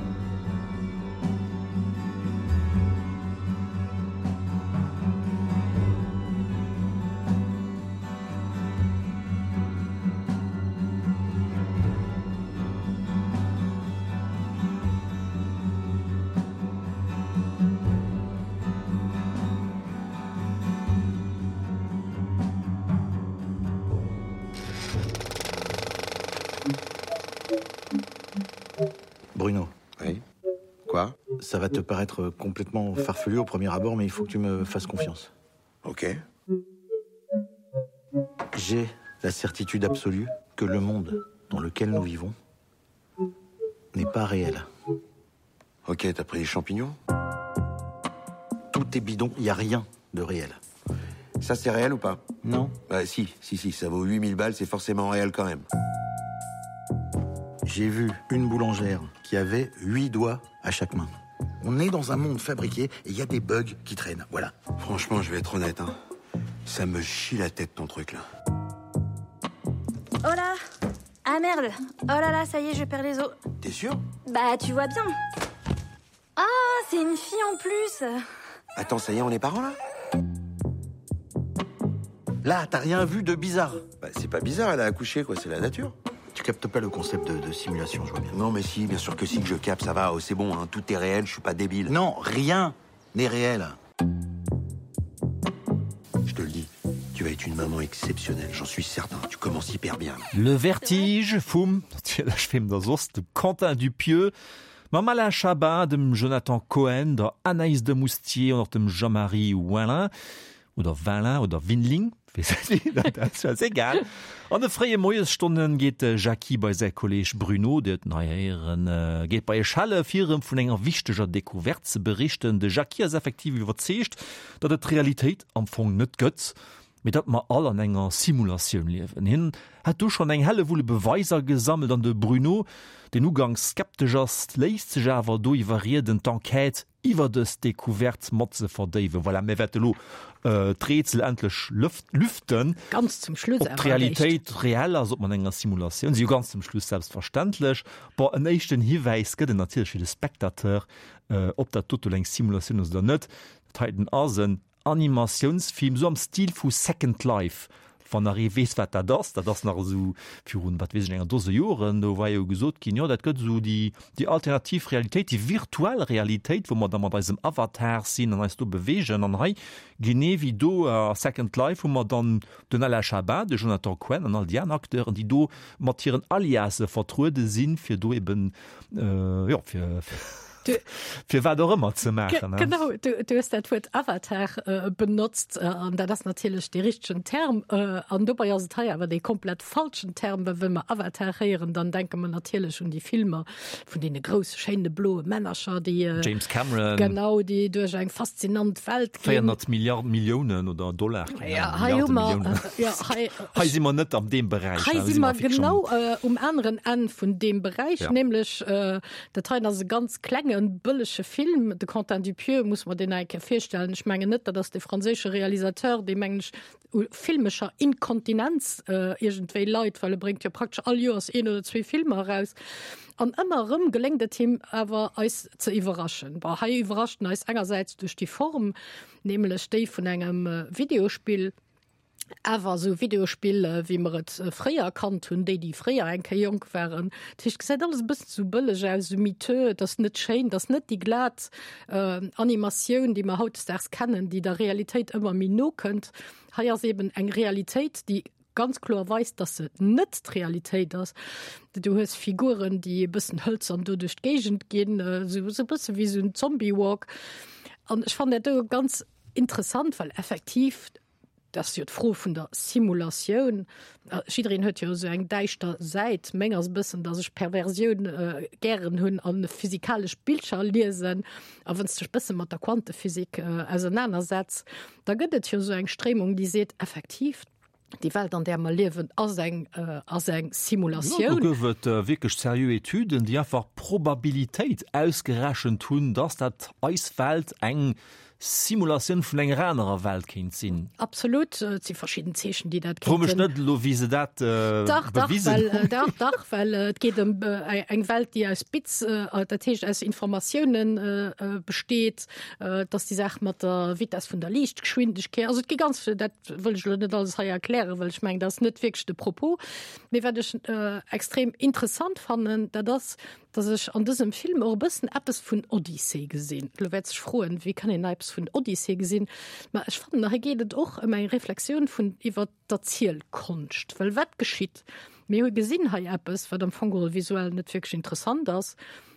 Bruno. Oui. Quoi Ça va te paraître complètement farfelu au premier abord, mais il faut que tu me fasses confiance. Ok. J'ai la certitude absolue que le monde dans lequel nous vivons n'est pas réel. Ok, t'as pris des champignons Tout est bidon, il n'y a rien de réel. Ça, c'est réel ou pas Non. Bah si, si, si, ça vaut huit mille balles, c'est forcément réel quand même. J'ai vu une boulangère qui avait huit doigts à chaque main. On est dans un monde fabriqué et il y a des bugs qui traînent. Voilà. Franchement, je vais être honnête, hein. Ça me chie la tête ton truc là. Oh là Ah merde Oh là là, ça y est, je perds les os. T'es sûr Bah, tu vois bien. Ah, c'est une fille en plus Attends, ça y est, on est parents là Là, t'as rien vu de bizarre. Bah, c'est pas bizarre, elle a accouché, quoi, c'est la nature. Tu captes pas le concept de, de simulation, je vois bien. Non, mais si, bien sûr que si, que je capte, ça va, oh, c'est bon, hein, tout est réel, je suis pas débile. Non, rien n'est réel. Je te le dis, tu vas être une maman exceptionnelle, j'en suis certain. Tu commences hyper bien. Le Vertige vum, natierlech, weem da soss, dem Quentin Dupieux, mam Alain Chabat, dem Jonathan Cohen, der Anaïs Demoustier an och dem Jean-Marie Wallin, oder Wallin oder Winling, weess net, dat ass egal. An de fréie Moiesstonne geet de Jackie bei säi Kolleeg Bruno, Dir hutt en hei héieren, geet bei e schelle fir em vun enger wichteger Decouverte ze berichten. De Jackie ass effektiv iwwerzeegt, datt et d'Realitéit am Fong net gëtt, mee datt mer all an enger Simulatioun liewen. Hien hätt do schonn eng Hellewull Beweiser gesammelt an de Bruno, deen uganks skeptesch ass, léisst sech awer do iwwerrieden, d'Enquête iwwer dës Decouverte mat ze verdéiwen. Voilà, mir wäerte lo d'Rätsel endlech lüften. Ganz zum Schluss Ob d'Realitéit reell ass, ob mer an enger Simulatioun sinn. Jo, ganz zum Schluss, selbstverständlech. Bon, en éischten Hiwäis gëtt et natierlech fir de Spectateur, ob dat doto elo eng Simulatioun ass oder net. Dat heiten ass en Animatiounsfilm, esou am Stil vu Second Life. Wann nach ee weess, wat dat ass, dat ass nach esou virun, wat weess ech, enger Dose Joren, do war jo gesot ginn, jo, dat gëtt esou déi, déi alternativ Realitéit, déi virtuell Realitéit, wou mer da mat eisem Avatar sinn an eis do beweegen. An hei, genee wéi do a Second Life, hu mer dann den Alain Chabat, de Jonathan Cohen an all déi aner Acteuren, déi do mat hiren Aliasse vertruede sinn, fir do eben, jo, fir, fir wat och ëmmer ze maachen. Genau, du, du hues dat Wuert Avatar äh, benotzt äh, an dat ass natierlech dee richtegen Term. Äh, an dobäi ass et hei awer dee komplett falschen Term, well wa mer Avatar héieren, dann denke mer natierlech un déi Filmer vun deene grousse schéine bloe Männercher, déi äh, James Cameron. Genau, déi duerch eng faszinant Welt ginn. véierhonnert Milliarden, Milliounen oder Dollar, keine Ahnung, Ja, hei hu mer, Milliarden, Milliounen. ja, hei, Hei si mer net an deem Beräich, Hei hei si si mer mer fix schon. genau äh, um aneren Enn vun deem Beräich, Ja. nämlech äh, dat hei ass e ganz klengen bëllege Film. De Quentin Dupieux muss mer deen eng Kéier virstellen. Ech mengen net, dat ass de franséische Realisateur, dee mengen ech u filmescher Inkontinenz äh, iergendwéi leit, well e bréngt jo praktesch all Joers een oder zwee Filmer eraus. An ëmmer erëm geléngt et him awer eis ze iwwerraschen. Bon, hei iwwerrascht en eis engersäits duerch déi Form, nämlech déi vun engem äh, Videospill, awer esou Videospill äh, wéi mer et äh, fréier kannt hunn, déi déi fréier eng Kéier jonk waren. Dat heescht, gesäit alles e bëssen sou bëlleg aus, sou miteux, et ass net schéin, et ass net déi glat äh, Animatioun, déi mer hautdesdaags kennen, déi der Realitéit ëmmer méi no kënnt. Hei ass eben eng Realitéit, déi ganz kloer weist, dass se net d'Realitéit ass. Du hues Figuren, déi e bëssen hëlzern do duerch d'Géigend ginn, äh, sou, sou e bësse wéi sou en Zombie-Walk. An ech fannen dat do ganz interessant, well effektiv Dat ass jo d'Fro vun der Simulatioun. Jiddereen huet jo esou eng däischter Säit. Meng ass e bëssen, datt ech Perversioun gären hunn a physikalesch Bilcher liesen. A wann s de dech bësse mat der Quantephysik ausernanersetz, da gëtt et jo esou eng Stréimung, déi seet, effektiv, déi Welt, an där mer liewen, ass eng, ass eng Simulatioun. Jo, do gouf et wierklech seriö Etüden, déi einfach d'Probabilitéit ausgerechent hunn, datt dat eis Welt eng Simulatioun vun enger anerer Welt kéint sinn. Absolut, et si verschidden Zeechen, déi dat kéinten. Fro mech net elo, wéi se dat bewisen hunn. Dach, dach, well et geet ëm eng Welt, déi aus Bits, dat heescht aus Informatiounen besteet. Et ass déi Saach mat der Vitess vun der Liichtgeschwindegkeet. Also et gi ganz, dat wëll ech elo net alles hei erklären, well ech mengen, dat ass net wierklech de Propos. Mee wat ech extrem interessant fannen, dat ass, dass ech an dësem Film och e bëssen eppes vun Odyssee gesinn. Elo wäert sech froen, wéi kann een eppes vun Odyssee gesinn? Ma ech fannen, hei geet et och ëm eng Reflexioun vun iwwer d'Erzielkonscht. Well wat geschitt? Mir hu gesinn hei eppes, wat am Fong geholl visuell net wierklech interessant ass.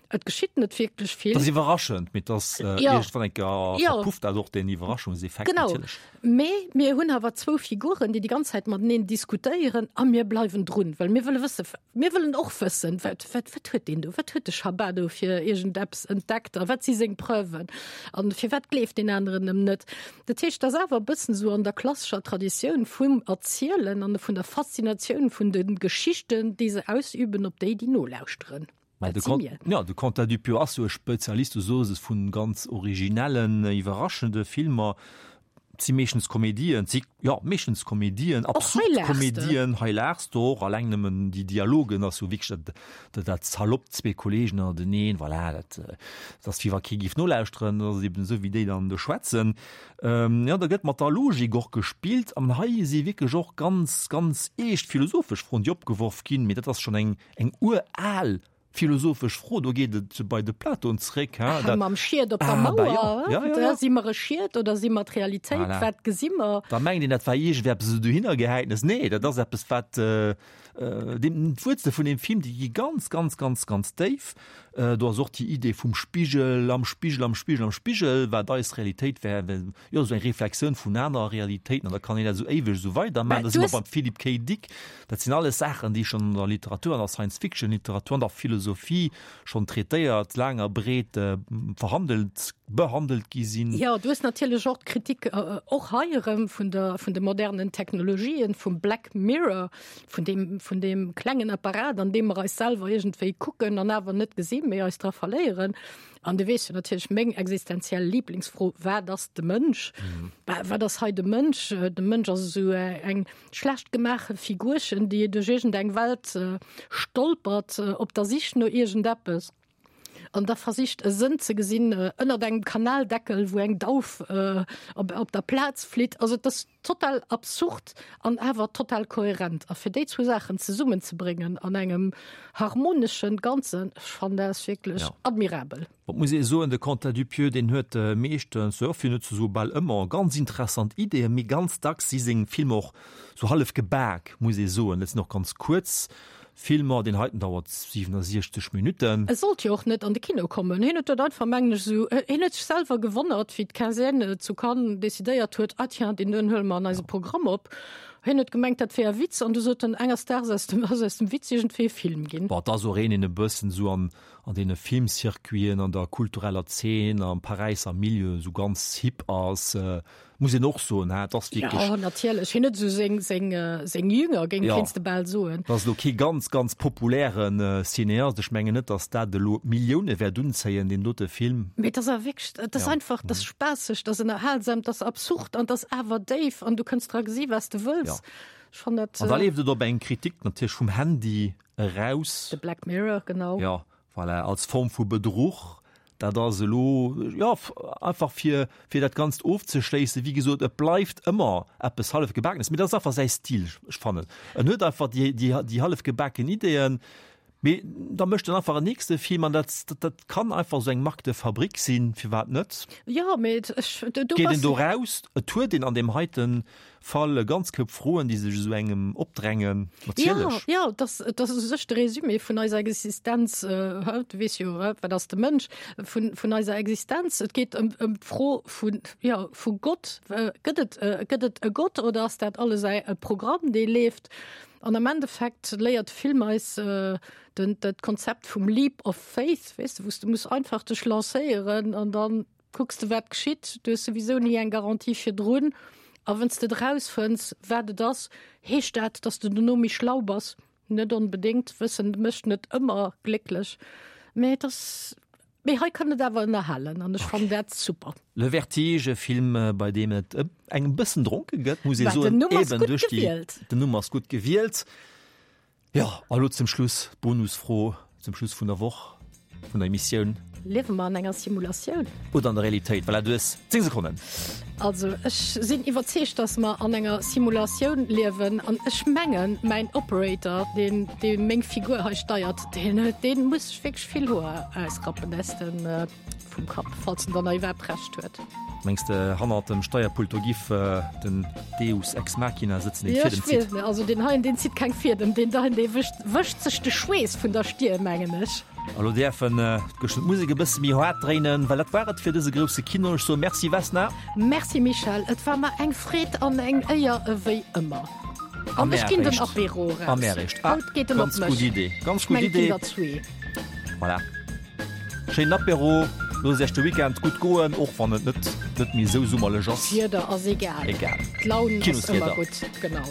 Et geschitt net wierklech vill. Et ass iwwerraschend, mee et ass iergendwann eng Kéier verpufft dat och deen Iwwerraschungseffekt natierlech. Genau. Mee mir hunn awer zwou Figuren, déi déi ganz Zäit mateneen diskutéieren a mir bleiwen drun, well mir wëlle wësse, mir wëllen och wëssen, wat, wat, wat huet deen do, wat huet de Chabat do fir iergendeppes entdeckt a wat si seng Preuven an firwat gleeft deen aneren em net. Dat heescht, et ass awer e bëssen esou an der klassescher Traditioun vum Erzielen an vun der Faszinatioun vun de Geschichten, déi se ausüben op déi, déi nolauschteren. Mä de Con, ja, de Quentin Dupieux ass jo e Spezialist, du soos es, vun ganz originellen, iwwerraschende Filmer. Et si meeschtens Komedien, et si, jo, meeschtens Komedien, absurd Komedien. Hei laachs de och, alleng nëmmen déi Dialogen ass jo wierklech dat, dat, dat salopp, zwee Kollegen ënnerteneen, voilà, dat, dat ass wéi wa kee géif nolauschteren, dat ass eben esou wéi déi dann do schwätzen. Jo, da gëtt mat der Logik och gespillt an hei si wierklech och ganz, ganz eescht philosophesch Froen, déi opgeworf ginn, mee dat ass schonn eng, eng ural Philosophesch Fro, do geet et bei de Platon zréck, hein, dat. Mam Schied op der Mauer, ja, ja, ja. Si mer e Schied oder si mer d'Realitéit? Voilà. Wat gesi mer? Da mengt een, dat war iergendwéi eppes esou dohinner gehäitenes. Nee, dat ass eppes, wat deem, d'Wuerzele vun deem Film, déi gi ganz, ganz, ganz, ganz déif. Do ass och déi Idee vum Spigel am Spigel am Spigel am Spigel, wat eis Realitéit wär, jo, esou eng Reflexioun vun anerer Realitéiten. An da kann een dat esou éiweg esou weidermaachen. Da si mer beim Philip K. Dick. Dat sinn alles Saachen, déi schonn an der Literatur, an der Science-Fiction-Literatur, an der Philosophie schonn traitéiert, laang a breet verhandelt, behandelt gi sinn. Jo, du hues natierlech och d'Kritik, och hei erëm, vun der, vun de modernen Technologien, vum Black Mirror, vun deem, vun deem klengen Apparat, an deem mer eis selwer iergendwéi kucken an awer net gesinn, mee eis dra verléieren. An du weess jo natierlech meng existenziell Liblingsfro, Wat ass de Mënsch? Wat ass hei de Mënsch? De Mënsch ass esou eng schlecht gemaache Figurchen, déi duerch iergendeng Welt stolpert, op der Sich no iergendeppes. An da versicht e Sënn ze gesinn ënnert engem Kanaldeckel, wou eng Dauf op der Plaz flitt. Also et ass total absurd an awer total kohärent. A fir déi zwou Saachen zesummenzebréngen an engem harmoneschen Ganzen, ech fannen dat ass wierklech Ja. admirabel. Et muss ee soen, de Quentin Dupieux, deen huet meeschtens, jo, fir net ze soe bal ëmmer, ganz interessant Ideeën, mee ganz dacks si seng Filmer och sou hallef gebak, muss ee soen. Dat sinn och ganz kuerz Filmer, deen heiten dauert siwenasiechzeg Minutten. E sollt jo och net an de Kino kommen. Hien huet dat einfach, mengen ech, esou, hien huet sech selwer gewonnert, wéi d'Quinzaine zu Cannes decidéiert huet, ah tiens, deen doen huele mer an eise Programm op. Hien huet gemengt, dat wär e Witz, an du sot en, enges Daags ass ass aus dem Witz iergendwéi e Film ginn. Bon, et ass och een, deen e bëssen esou an an deene Filmcircuiten, an der kultureller Zeen, am Paräisser Milieu esou ganz hip ass. Muss een och soen, he, et ass wierklech. Jo, natierlech, hien huet esou seng, seng, seng Jünger, géing, Ja. kéints de bal soen. Et ass elo kee ganz, ganz populäre Cineast. Ech mengen net, datt dat elo Millioune wäert unzéien, deen dote Film. Mee et ass awer wierklech, et ass Ja. einfach, et ass spaasseg, et ass ënnerhalsam, et ass absurd an et ass awer déif an du kënns dra gesi wat s de wëlls. Ja. Ech fannen dat. An da leeft et op eng Kritik natierlech vum Handy eraus. De Black Mirror, genau. Ja, voilà, als Form vu Bedruch. Dat ass elo, jo, einfach fir, fir dat Ganzt ofzeschléissen. Wéi gesot, et bleift ëmmer eppes Hallefgebakenes, mee dat ass einfach säi Stil. Ech fannen, en huet einfach déi, déi, déi hallefgebaken Ideeën, Mee da mécht en einfach en nächste Film an dat, dat, dat kann einfach esou eng Marque de fabrique sinn, firwat net? Jo, mee ech, du, du Geet een bass. do raus, et huet een an deem heite Fall e ganz Koup Froen, déi sech esou engem opdrängen, natierlech. Jo, jo, dat, dat ass u sech de Résumé vun eiser Existenz, äh, du weess jo, wat ass de Mënsch, vun, vun eiser Existenz. Et geet ëm, ëm d'Fro vun, jo, vu Gott. Gëtt et, gëtt et e Gott oder ass dat alles e Programm, dee leeft? An am Endeffekt léiert de Film eis den, dat Konzept vum Leap of Faith, weess de, wou s de muss einfach dech lancéieren an dann kucks de wat geschitt. Du hues souwisou ni eng Garantie virdrun. A wann s de et erausfënns, wat et ass, heescht dat, dass de dono méi schlau bass? Net onbedéngt. Wëssen mécht net ëmmer glécklech. Mee et ass, mee hei kann et awer ënnerhalen an ech fannen dat super. Le Vertige, e Film, bei deem et engem e bëssen dronke gëtt, muss ee Bah, den soen, Numm ass eben gutt duerch déi, gewielt. den Numm ass gutt gewielt. Jo, a lo zum Schluss d'Bonusfro zum Schluss vun der Woch, vun der Emissioun. Liewe mer an enger Simulatioun? Oder an der Realitéit? Voilà, du hues zéng Sekonnen. Also ech sinn iwwerzeegt, dass mer an enger Simulatioun liewen an ech mengen, mäin Operator, deen, dee meng Figur hei steiert, deen, deen muss sech wierklech vill Hoer ausrappen, aus dem, vum Kapp, falls en dann nach iwwerhaapt Recht huet. Mengs de hannert dem Steierpult do giff den Deus ex machina sëtzen, deen Jo, d'Fiedem ech weess zitt? net. Also deen heien, deen zitt keng Fiedem, deen heien, dee wëscht, wëscht sech de Schweess vun der Stier, mengen ech. A lo däerfen geschwënn d'Musek e bësse méi haart dréinen, well dat war et fir dëse grousse Kino. Ech soe Merci Vesna. Merci Michèle, et war mer eng Freed an eng Éier ewéi ëmmer. A An ech mär ginn den eréischt. Apéro A eraus. mär eréischt. Ah, Haut geet en op ganz mech. gutt Idee. Ganz Ech gutt mengen, et ginn Idee. der zwee. Voilà. Schéinen Apéro, loosst iech de Weekend gutt goen, och wann et net net méi esou summerlech ass. D'Wieder ass egal. Egal. D'Laun ass ëmmer Kinoswieder. gutt, genau.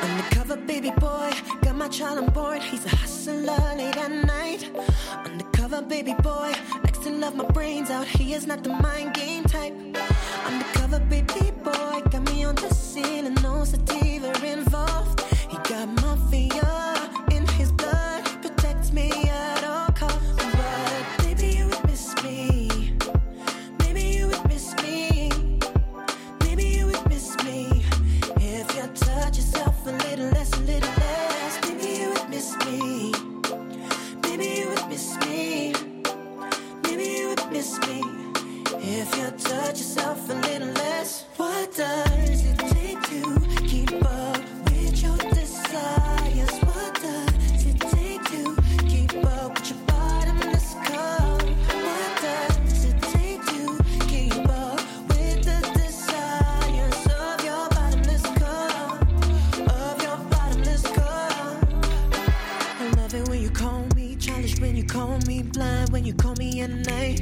Undercover baby boy, got my child on board. He's a hustler late at night. Undercover baby boy, likes to love my brains out. He is not the mind game type. Undercover baby boy, got me on the ceiling, no sativa involved. He got mafia in his blood, protects me at all costs. But maybe you would miss me. Maybe you would miss me. Maybe you would miss me if you touch yourself a little less, a little less. Maybe you would miss me. Maybe you would miss me. Maybe you would miss me if you touch yourself a little less. What does it take to keep up with your desires? What does it take to keep up with your bottomless cup? What does it take to keep up with the desires of your bottomless cup? Of your bottomless cup. I love it when you call me childish, when you call me blind, when you call me at night.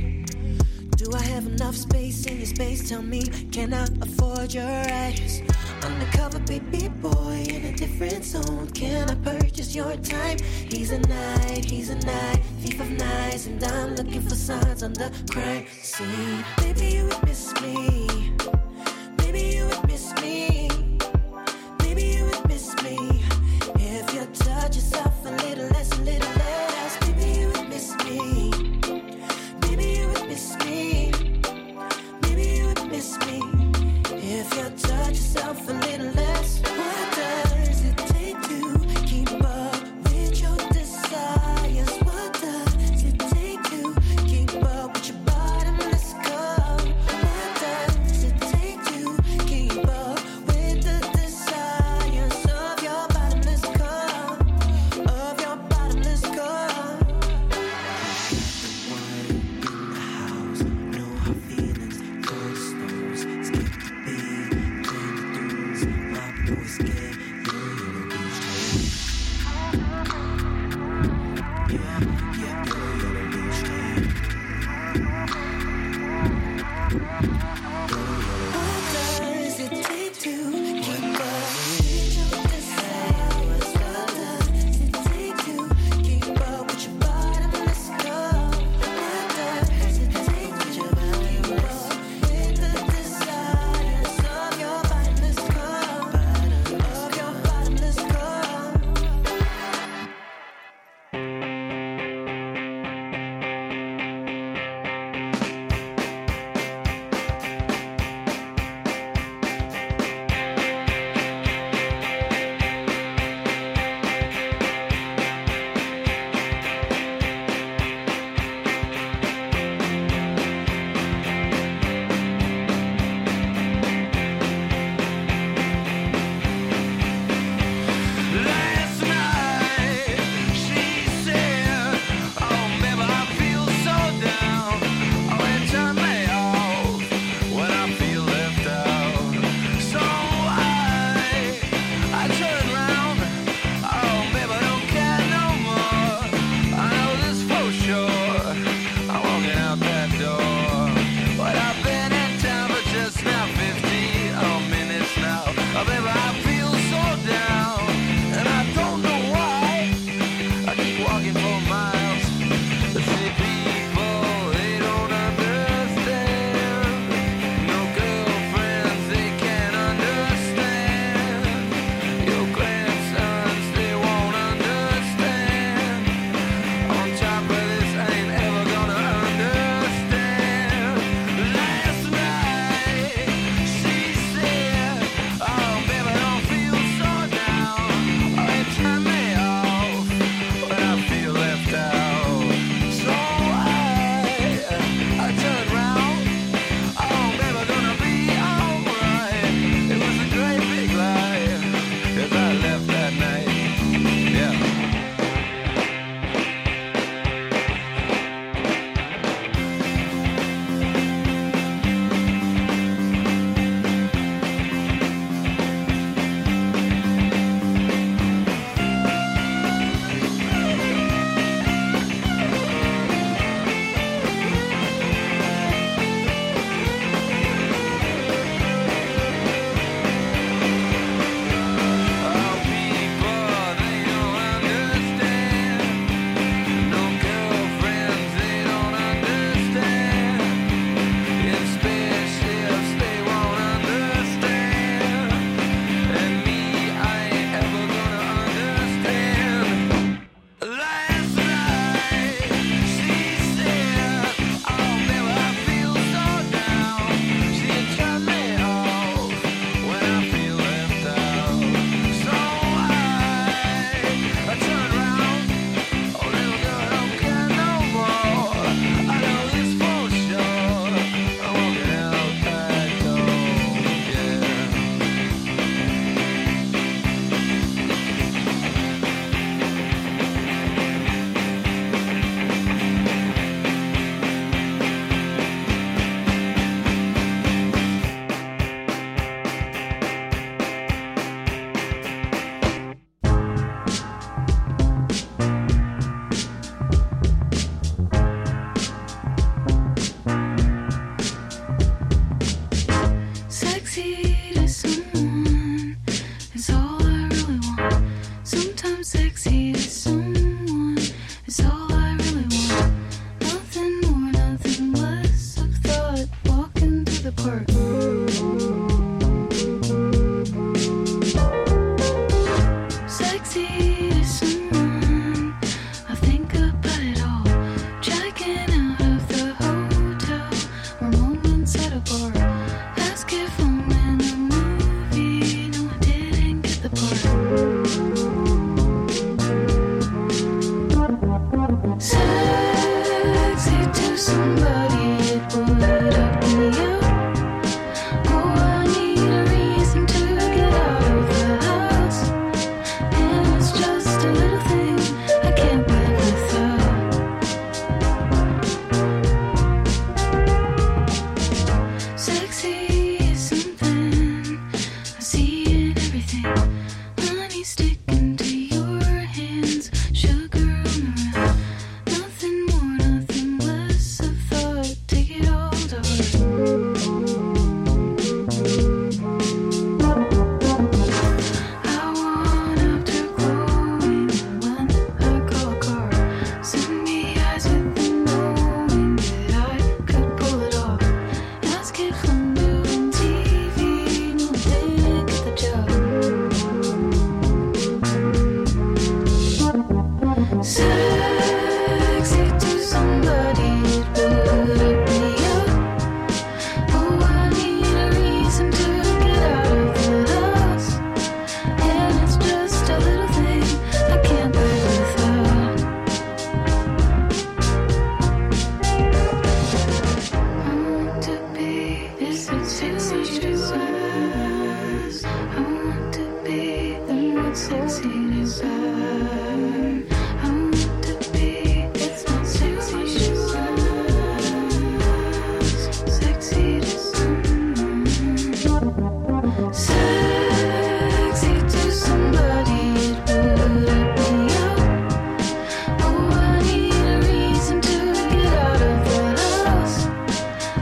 Do I have enough space in your space? Tell me, can I afford your eyes? Undercover baby boy in a different zone. Can I purchase your time? He's a night, he's a night, thief of nights, and I'm looking for signs on the crime scene. Maybe you would miss me. Maybe you would miss me. Maybe you would miss me if you touch yourself a little less, a little less. Maybe you would miss me. Maybe you would miss me. Maybe you would miss me if you touch yourself a little less. What does it take to keep up with your desires? What does it take to keep up with your bottomless cup? What does it take to keep up with the desires of your bottomless cup? Of your bottomless cup. What Outside a bar. Ask if I'm in a movie. No, I didn't get the part. Sexy to somebody, it would up me up. Oh, I need a reason to get out of the house. And it's just a little thing I can't live without. Sexy is something I see in everything. Honey sticking to your hands, sugar on the rim. Nothing more, nothing less. I thought, take it all to heart. I want after glowing when I call a car. Send me eyes with the knowing that I could pull it off. Ask if I'm doing T V. No, I didn't get the job. Sexy to somebody, it would up me up. Oh, I need a reason to get out of the house. And it's just a little thing I can't live without. I want to be sexy to us. I want to be the one sexy to us. I want to be it's not sexy to us. Sexy to someone. Sexy to somebody, it would up me up. Oh, I need a reason to get out of the house.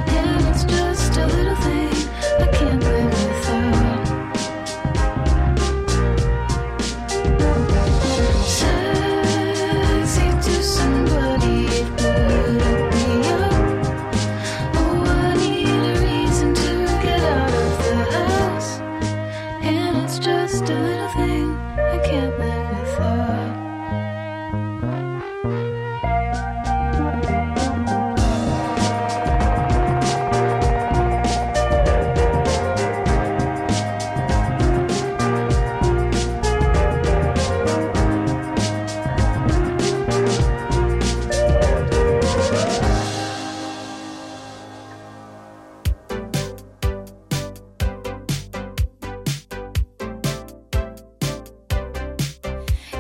And it's just a little thing I can't live without. Sexy to somebody, it would up me up. Oh, I need a reason to get out of the house. And it's just a little thing I can't live without.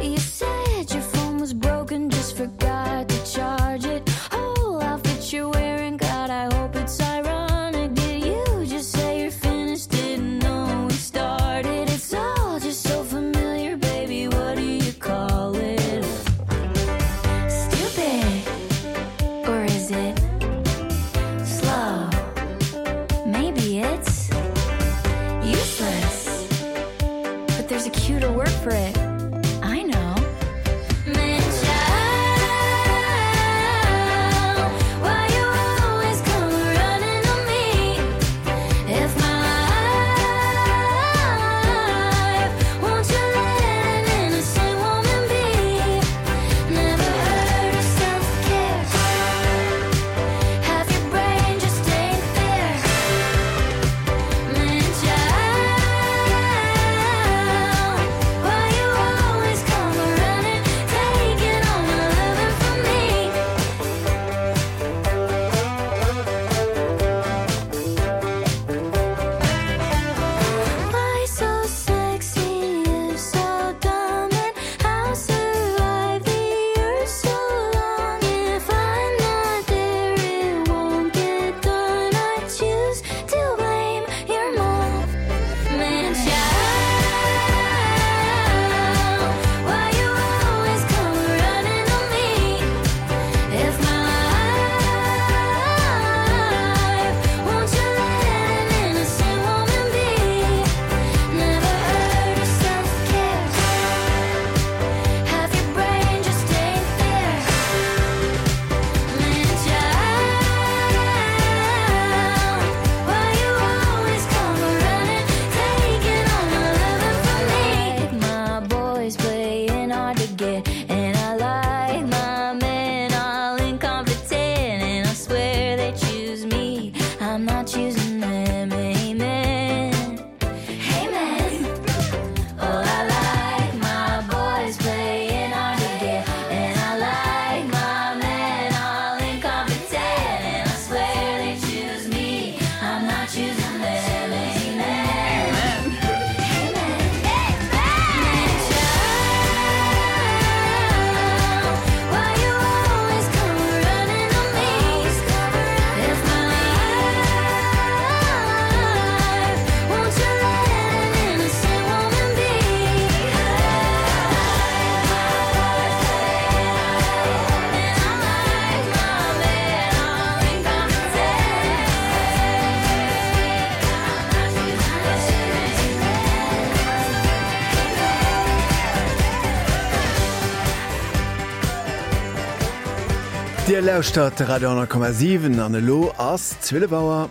You said your phone was broken, just forgot to charge it. Whole outfit you're wearing, God, I hope it's ironic. Did you just say you're finished? Didn't know we started. It's all just so familiar, baby. What do you call it? Stupid. Or is it slow? Maybe it's useless. But there's a cuter word for it. I know. Man, child, why you always come running to me? If my life, won't you let an innocent woman be? Never heard of self-care. Half your brain just ain't there. Man, child, why you choosing them. Amen. Amen. Oh, I like my boys playing hard to get, and I like my men all incompetent. And I swear they choose me. I'm not choosing them. Amen. Amen. Child, why you always come running to me? It's my life. Won't you let an innocent woman be? Dir lauschtert de Radio honnert Komma siwen an elo ass zwielef Auer.